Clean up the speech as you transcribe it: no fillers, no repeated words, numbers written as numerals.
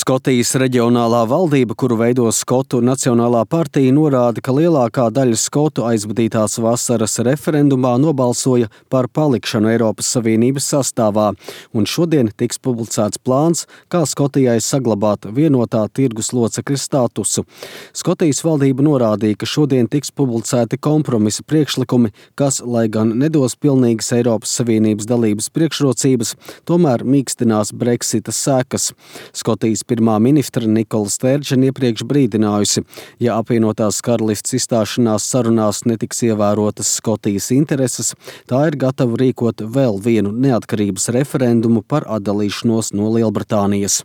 Skotijas reģionālā valdība, kuru veido Skotu Nacionālā partija, norāda, ka lielākā daļa skotu aizvadītās vasaras referendumā nobalsoja par palikšanu Eiropas Savienības sastāvā, un šodien tiks publicēts plāns, kā Skotijai saglabāt vienotā tirgus locekļa statusu. Skotijas valdība norādīja, ka šodien tiks publicēti kompromisa priekšlikumi, kas, lai gan nedos pilnīgas Eiropas Savienības dalības priekšrocības, tomēr mīkstinās Brexita sekas. Skotijas pirmā ministra Nikola Stērdžena iepriekš brīdinājusi, ja apvienotās karalists izstāšanās sarunās netiks ievērotas Skotijas intereses, tā ir gatava rīkot vēl vienu neatkarības referendumu par atdalīšanos no Lielbritānijas.